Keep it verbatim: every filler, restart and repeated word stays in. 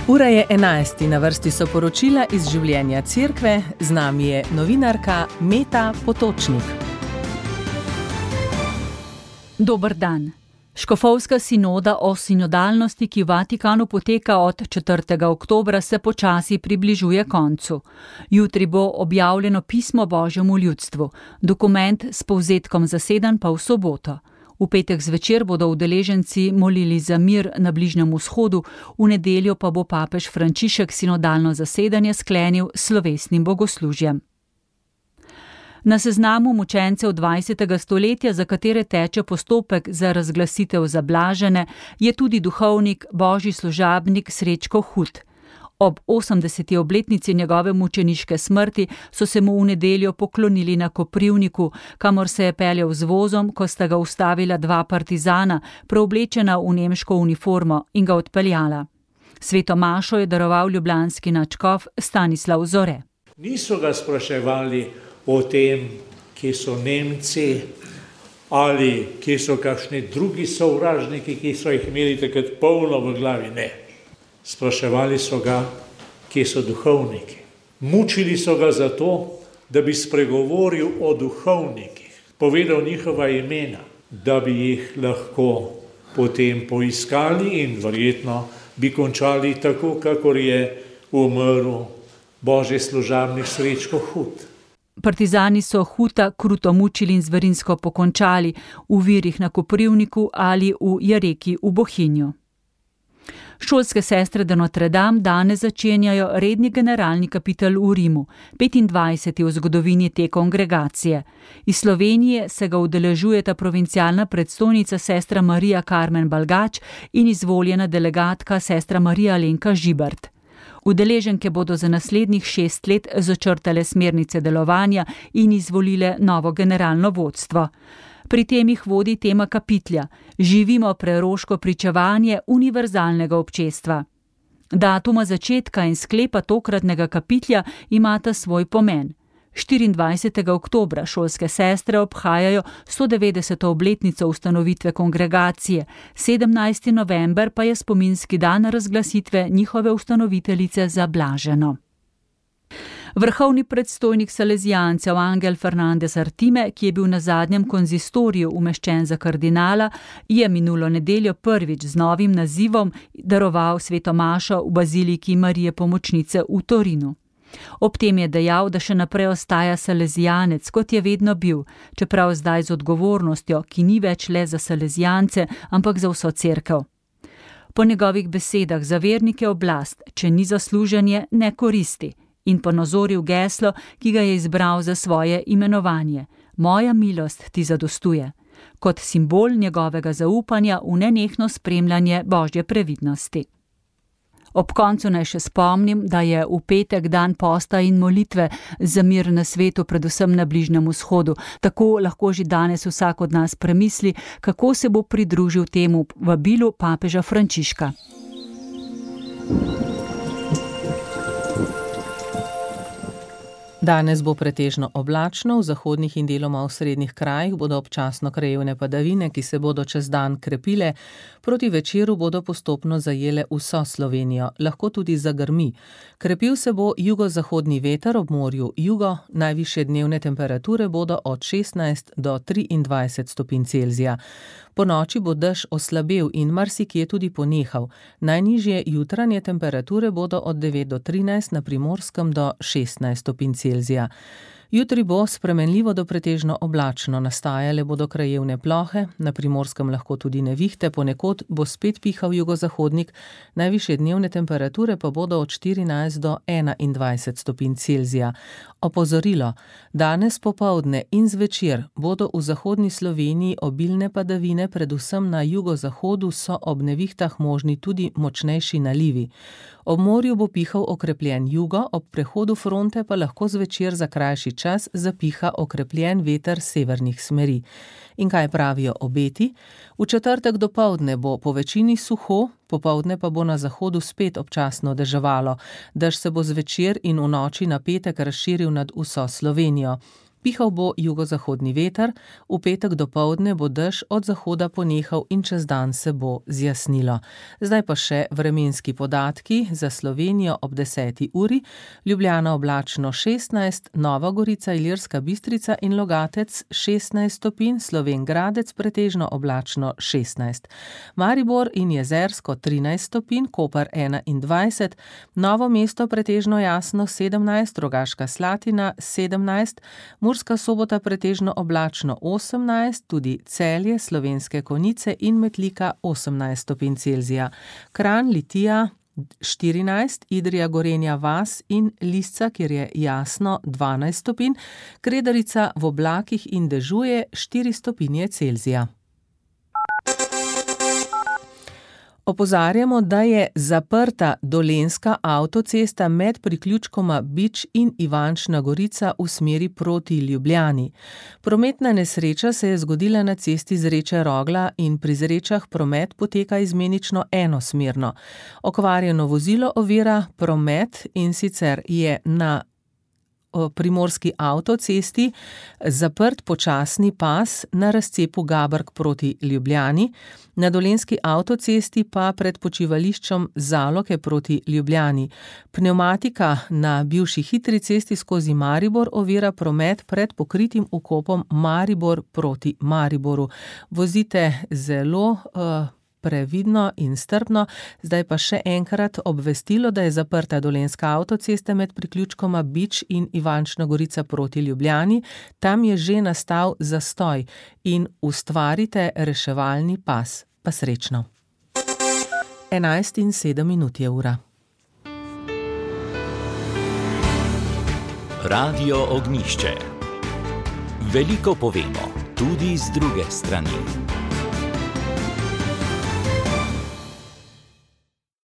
Ura je enajst, na vrsti so poročila iz življenja cerkve, z nami je novinarka Meta Potočnik. Dober dan. Škofovska sinoda o sinodalnosti, ki v Vatikanu poteka od četrtega oktobra, se počasi približuje koncu. Jutri bo objavljeno pismo Božjemu ljudstvu, dokument s povzetkom zasedanj pa v soboto. V petek zvečer bodo udeleženci molili za mir na Bližnjem vzhodu, v nedeljo pa bo papež Frančišek sinodalno zasedanje sklenil s slovesnim bogoslužjem. Na seznamu mučencev dvajsetega stoletja, za katere teče postopek za razglasitev za blažene, je tudi duhovnik, božji služabnik Srečko Hud. Ob osemdeseti obletnici njegove mučeniške smrti so se mu v nedeljo poklonili na Koprivniku, kamor se je peljal z vozom, ko sta ga ustavila dva partizana, preoblečena v nemško uniformo, in ga odpeljala. Sveto mašo je daroval ljubljanski nadškof Stanislav Zore. Niso ga spraševali o tem, kje so Nemci ali kje so kakšni drugi sovražniki, ki so jih imeli takrat polno v glavi, ne. Spraševali so ga, kje so duhovniki. Mučili so ga zato, da bi spregovoril o duhovnikih, povedal njihova imena, da bi jih lahko potem poiskali in verjetno bi končali tako, kakor je umrl božji služabnik Srečko Hud. Partizani so Huta kruto mučili in zverinsko pokončali v virih na Koprivniku ali v Jareki v Bohinju. Šolske sestre de Notre Dame danes začenjajo redni generalni kapitel v Rimu, petindvajseti v zgodovini te kongregacije. Iz Slovenije se ga udeležujeta provincialna predstojnica sestra Marija Karmen Balgač in izvoljena delegatka sestra Marija Alenka Žibert. Udeleženke bodo za naslednjih šest let začrtale smernice delovanja in izvolile novo generalno vodstvo. Pri tem jih vodi tema kapitlja: Živimo preroško pričevanje univerzalnega občestva. Datuma začetka in sklepa tokratnega kapitlja imata svoj pomen. štiriindvajsetega oktobra šolske sestre obhajajo sto devetdeseto obletnico ustanovitve kongregacije, sedemnajsti november pa je spominski dan razglasitve njihove ustanoviteljice za blaženo. Vrhovni predstojnik salezijancev Angel Fernandez Artime, ki je bil na zadnjem konzistoriju umeščen za kardinala, je minulo nedeljo prvič z novim nazivom daroval sveto mašo v baziliki Marije Pomočnice v Torinu. Ob tem je dejal, da še naprej ostaja salezijanec, kot je vedno bil, čeprav zdaj z odgovornostjo, ki ni več le za salezijance, ampak za vso cerkev. Po njegovih besedah za vernike oblast, če ni zasluženje, ne koristi, in ponazoril geslo, ki ga je izbral za svoje imenovanje: Moja milost ti zadostuje, kot simbol njegovega zaupanja v nenehno spremljanje božje previdnosti. Ob koncu naj še spomnim, da je v petek dan posta in molitve za mir na svetu, predvsem na Bližnjem vzhodu. Tako lahko že danes vsak od nas premisli, kako se bo pridružil temu vabilu papeža Frančiška. Danes bo pretežno oblačno, v zahodnih in deloma v srednjih krajih bodo občasno krajevne padavine, ki se bodo čez dan krepile, proti večeru bodo postopno zajele vso Slovenijo, lahko tudi zagrmi. Krepil se bo jugozahodni veter, ob morju jugo, najvišje dnevne temperature bodo od šestnajst do triindvajset stopinj Celzija. Po noči bo dež oslabel in marsikje tudi ponehal. Najnižje jutranje temperature bodo od devet do trinajst, na Primorskem do šestnajst stopinj Celzija. Jutri bo spremenljivo do pretežno oblačno, nastajale bodo krajevne plohe, na Primorskem lahko tudi nevihte, ponekod bo spet pihal jugozahodnik, najvišje dnevne temperature pa bodo od štirinajst do enaindvajset stopinj Celzija. Opozorilo: danes popoldne in zvečer bodo v zahodni Sloveniji obilne padavine, predvsem na jugozahodu so ob nevihtah možni tudi močnejši nalivi. Ob morju bo pihal okrepljen jugo, ob prehodu fronte pa lahko zvečer za krajši čas zapiha okrepljen veter severnih smeri. In kaj pravijo obeti? V četrtek dopoldne bo po večini suho, popoldne pa bo na zahodu spet občasno deževalo. Dež se bo zvečer in v noči na petek razširil nad vso Slovenijo. Pihal bo jugozahodni veter, v petek dopoldne bo dež od zahoda ponehal in čez dan se bo zjasnilo. Zdaj pa še vremenski podatki za Slovenijo ob deseti uri. Ljubljana oblačno šestnajst, Nova Gorica, Ilirska Bistrica in Logatec šestnajst stopinj, Slovenj Gradec pretežno oblačno šestnajst. Maribor in Jezersko trinajst stopinj, Koper enaindvajset, Novo mesto pretežno jasno sedemnajst, Rogaška Slatina sedemnajst, Murska Sobota pretežno oblačno osemnajst, tudi Celje, Slovenske Konjice in Metlika osemnajst stopinj Celzija. Kranj, Litija štirinajst, Idrija, Gorenja vas in Lisca, kjer je jasno dvanajst stopinj, Kredarica v oblakih in dežuje štiri stopinje Celzija. Opozarjamo, da je zaprta dolenjska avtocesta med priključkoma Bič in Ivančna Gorica v smeri proti Ljubljani. Prometna nesreča se je zgodila na cesti Zreče Rogla in pri Zrečah promet poteka izmenično enosmerno. Okvarjeno vozilo ovira promet, in sicer je na primorski avtocesti zaprt počasni pas na razcepu Gabrk proti Ljubljani, na dolenjski avtocesti pa pred počivališčem Zaloke proti Ljubljani. Pnevmatika na bivši hitri cesti skozi Maribor ovira promet pred pokritim vkopom Maribor proti Mariboru. Vozite zelo uh, previdno in strpno. Zdaj pa še enkrat obvestilo, da je zaprta dolenjska avtocesta med priključkoma Bič in Ivančna Gorica proti Ljubljani. Tam je že nastal zastoj in ustvarite reševalni pas. Pa srečno. enajst in sedem minut je ura. Radio Ognjišče. Veliko povemo, tudi z druge strani.